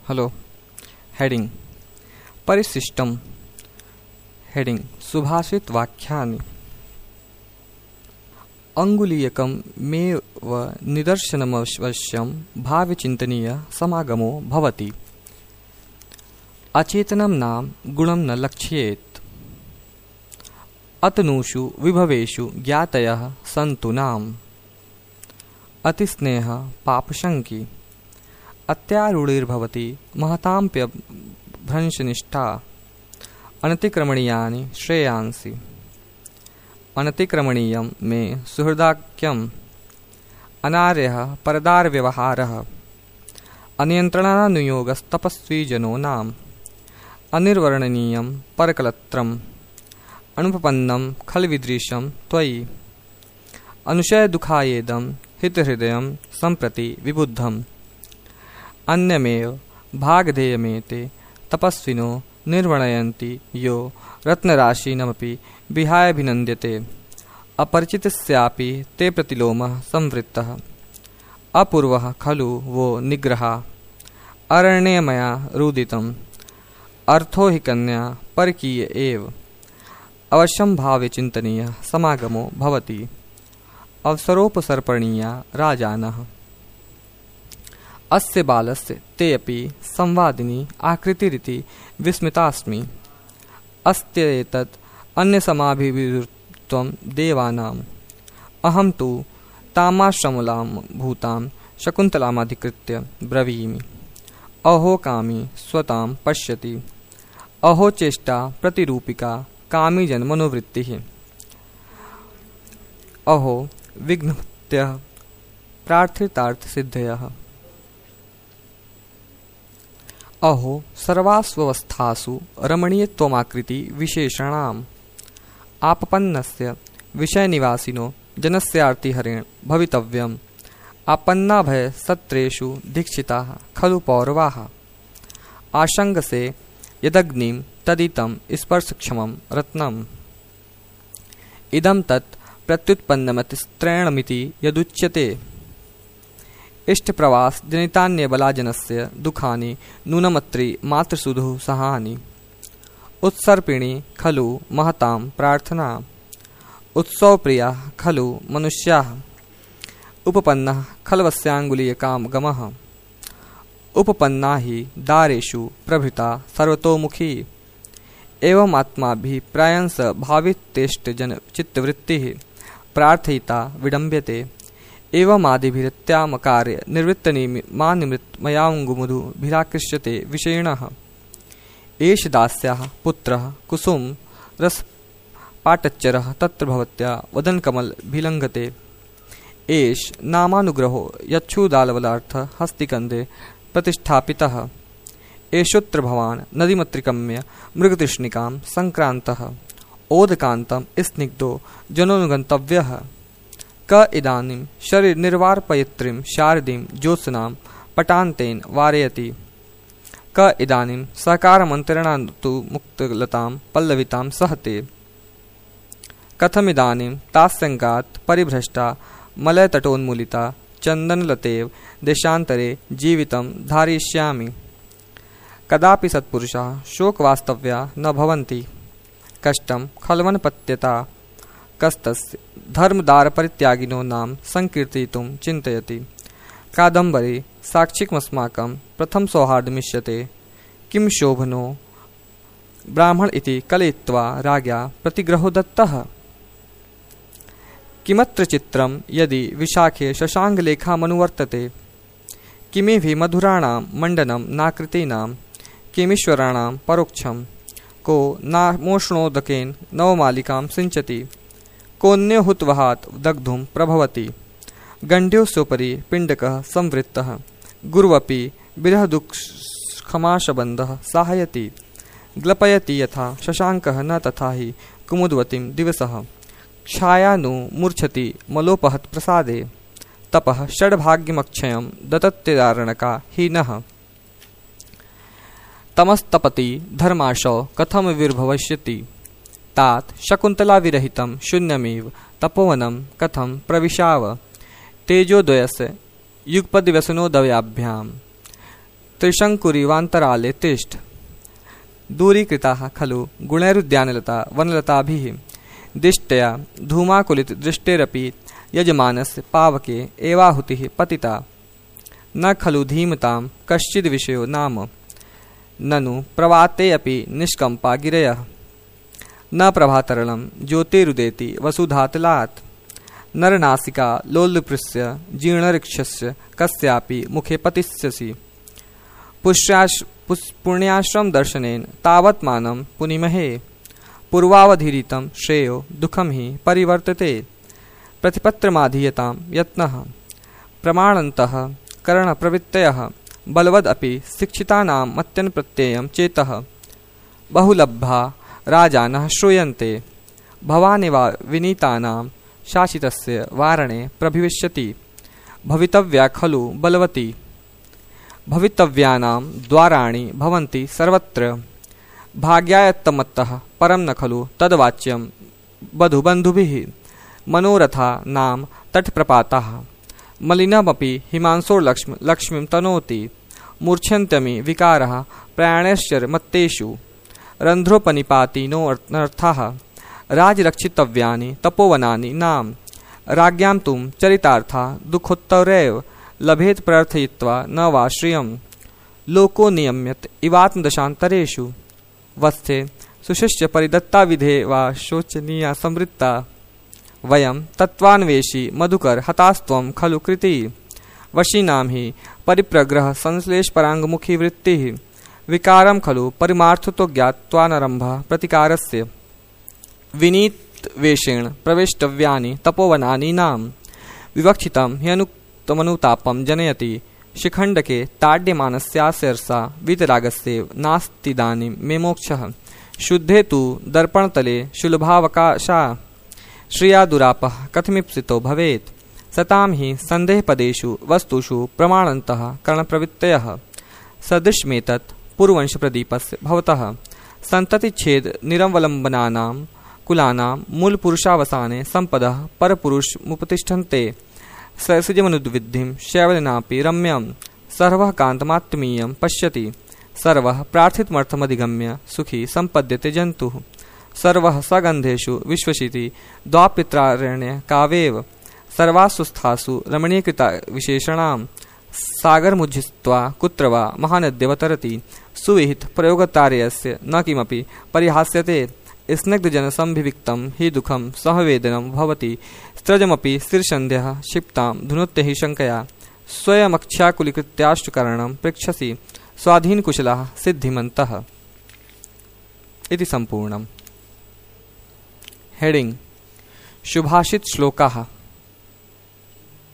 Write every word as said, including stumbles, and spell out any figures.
Hello heading परिशिष्टम heading सुभाषित वाक्यानि अंगुलीयकं मेव निदर्शनमवश्यं भाव्यचिन्तनीय समागमो भवति। अचेतनं नाम गुणं न लक्ष्येत। अतनुषु विभवेषु ज्ञातयः सन्तु नाम अतिस्नेह पापशंकी अत्यारूढिर्भवति महताम्प्यभ्रंशनिष्ठा अनतिक्रमणीयानि श्रेयांसि। अनतिक्रमणीयं मे सुहृदाख्यम् अनार्यः परदारव्यवहारः अनियन्त्रणानुयोगस्तपस्वी जनो नाम अनिर्वर्णनीयं परकलत्रम् अनुपपन्नं खलविदृशं त्वयि अनुशयदुःखायेदं हितहृदयं सम्प्रति विबुद्धम् अन्यमेव भागधेयमेते तपस्विनो निर्वर्णयन्ति यो रत्नराशीनमपि विहायाभिनन्द्यते। अपरिचितस्यापि ते प्रतिलोमः संवृत्तः अपूर्वः खलु वो निग्रहा अरण्यमया रुदितम् अर्थो हि कन्या परकीय एव अवश्यं भावे चिन्तनीय समागमो भवति। अवसरोपसर्पणीया राजानः अस्य बालस्य ते अपि संवादिनी आकृतिरिति विस्मितास्मि। अस्त्येतत् अन्यसमाभिविरुद्धं देवानाम् अहं तु तामाश्रमलां भूतां शकुन्तलामधिकृत्य ब्रवीमि। अहो कामी स्वतां पश्यति अहो चेष्टा प्रतिरूपिका कामी जन्मनोवृत्तिः अहो विघ्नत्यः प्रार्थितार्थसिद्धयः अहो सर्वास्वस्थासु रमणीयत्वमाकृति विशेषणाम् आपपन्नस्य विषयनिवासिनो जनस्यार्तिहरेण भवितव्यम्। आपन्नाभय सत्रेषु दीक्षिताः खलु पौरवाः आशंगसे यदग्निं तदितं स्पर्शक्षमं रत्नम् इदं तत् प्रत्युत्पन्नमतिस्त्रैणमिति यदुच्यते। इष्टप्रवास जनितान्यबलाजनस्य दुःखानि नूनमत्रि मातृसुधुः सहानि उत्सर्पिणी खलु महतां प्रार्थना उत्सवप्रिया खलु मनुष्याः उपपन्नः खल्वस्याङ्गुलीयकां गमः उपपन्ना हि दारेषु प्रभृता सर्वतोमुखी एवमात्माभिप्रायंस भावितेष्टजन चित्तवृत्तिः प्रार्थयिता विडम्ब्यते एवमादिभिरत्यामकार्य निवृत्तनिमानिमृत्मयाङ्गुमुदुभिराकृष्यते विषयिणः। एष दास्याः पुत्रः कुसुम रसपाटच्चरः तत्र भवत्या वदनकमलभिलङ्घते। एष नामानुग्रहो यच्छुदालवलार्थ हस्तिकन्दे प्रतिष्ठापितः। एषोत्र भवान् नदीमत्रिकम्य मृगतृष्णिकां सङ्क्रान्तः ओदकान्तं स्निग्धो जनोनुगन्तव्यः। क इदानीं शरीरनिर्वार्पयित्रीं शारदीं ज्योत्स्नां पटान्तेन वारयति। क इदानीं सकारमन्तरणान्तु मुक्तलतां पल्लवितां सहते। कथमिदानीं तास्यङ्गात् परिभ्रष्टा मलयतटोन्मूलिता चन्दनलतेव देशान्तरे जीवितं धारयिष्यामि। कदापि सत्पुरुषाः शोकवास्तव्या न भवन्ति। कष्टं खल्वनपत्यता कस्तस्य धर्मदारपरित्यागिनो नाम संकीर्तयितुं चिन्तयति। कादम्बरी साक्षिकमस्माकं प्रथम सौहार्दमिष्यते। किं शोभनो ब्राह्मण इति कलयित्वा राज्ञा प्रतिग्रहो दत्तः। किमत्र चित्रं यदि विशाखे शशाङ्गलेखामनुवर्तते। किमिभि मधुराणां मण्डनं नाकृतीनां किमीश्वराणां परोक्षं को नामोष्णोदकेन नवमालिकां सिञ्चति। कोऽन्यो हुतवहात् दग्धुं प्रभवति। गण्ड्योऽस्योपरि पिण्डकः संवृत्तः गुरुवपि विरहदुःखमाशबन्धः साहयति। ग्लपयति यथा शशाङ्कः न तथा हि कुमुदवतीं दिवसः छायानु मूर्छति मलोपहत् प्रसादे। तपः षड्भाग्यमक्षयं ददत्यदारणका हि नः। तमस्तपति धर्माशौ कथमविर्भविष्यति। तात शकुन्तलाविरहितं शून्यमेव तपोवनं कथं प्रविशाव। तेजोद्वयस्य युगपद्व्यसनोदयाभ्यां त्रिशङ्कुरिवान्तराले तिष्ठ। दूरीकृताः खलु गुणैरुद्यानलता वनलताभिः दिष्ट्या धूमाकुलितदृष्टेरपि यजमानस्य पावके एवाहुतिः पतिता। न खलु धीमतां कश्चिद्विषयो नाम ननु प्रवाते अपि निष्कम्पा गिरयः। न प्रभातरलं ज्योतिरुदेति वसुधातलात् नरनासिका लोलुपृस्य जीर्णऋक्षस्य कस्यापि मुखे पतिष्यसि। पुष्याश् पुण्याश्रम दर्शनेन तावत् मानं पुनिमहे पूर्वावधीरितं श्रेयो दुःखं हि परिवर्तते। प्रतिपत्रमाधीयतां यत्नः प्रमाणन्तः करणप्रवृत्तयः बलवदपि शिक्षितानां मत्यन्प्रत्ययं चेतः। बहुलब्धा राजानः श्रूयन्ते भवानेवा विनीतानां शासितस्य वारणे प्रभविष्यति। भवितव्या खलु बलवती भवितव्यानां द्वाराणि भवन्ति सर्वत्र। भाग्यायत्तमत्तः परं न खलु तद्वाच्यं वधुबन्धुभिः। मनोरथा नाम तटप्रपाताः मलिनमपि हिमांशोर्लक्ष्म लक्ष्मीं तनोति। मूर्च्छन्त्यमि विकारः प्रयाणैश्चर्मत्तेषु रन्ध्रोपनिपाति नोऽर्थाः। राजरक्षितव्यानि तपोवनानि नाम राज्ञां तुं चरितार्था दुःखोत्तरैव लभेत प्रार्थयित्वा न वा श्रियं। लोको नियम्यत इवात्मदशान्तरेषु वस्थे सुशिष्य परिदत्ता विधे वा शोचनीया संवृत्ता। वयं तत्त्वान्वेषी मधुकर हतास्त्वं खलु कृति। वशीनां हि परिप्रग्रह संश्लेषपराङ्गमुखी वृत्तिः। विकारं खलु परमार्थतो ज्ञात्वानरम्भः प्रतिकारस्य। विनीतवेषेण प्रवेष्टव्यानि तपोवनानि नाम विवक्षितं ह्यनुक्तमनुतापं जनयति। शिखण्डके ताड्यमानस्यास्यर्षा वीतरागस्यैव नास्तिदानीं मे मोक्षः। शुद्धे तु दर्पणतले शुलभावकाशा श्रिया दुरापः कथमिप्सितो भवेत्। सतां हि सन्देहपदेषु वस्तुषु प्रमाणन्तः करणप्रवृत्तयः। सदृशमेतत् पूर्ववंशप्रदीपस्य भवतः सन्ततिच्छेद निरवलम्बनानां कुलानां मूलपुरुषावसाने सम्पदः परपुरुषमुपतिष्ठन्ते। ससृजमनुद्विद्धिं शैवलनापि रम्यं सर्वः कान्तमात्मीयं पश्यति। सर्वः प्रार्थितमर्थमधिगम्य सुखी सम्पद्यते जन्तुः। सर्वः सगन्धेषु विश्वसिति द्वापित्रारण्य कावेव। सर्वासु स्थासु रमणीकृता विशेषणां सागरमुज्झित्वा कुत्र वा महानद्यवतरति। सुविहित प्रयोगतार्यस्य न किमपि परिहास्यते। स्निग्धजनसंभिविक्तं हि दुःखं सहवेदनं भवति। स्त्रजमपि स्थिरसन्ध्यः क्षिप्तां धुनोत्य हि शङ्कया। स्वयमक्षाकुलीकृत्याश्चुकरणं पृच्छसि स्वाधीनकुशलाः सिद्धिमन्तः। इति सम्पूर्णम्। हेडिंग शुभाषित श्लोकाः।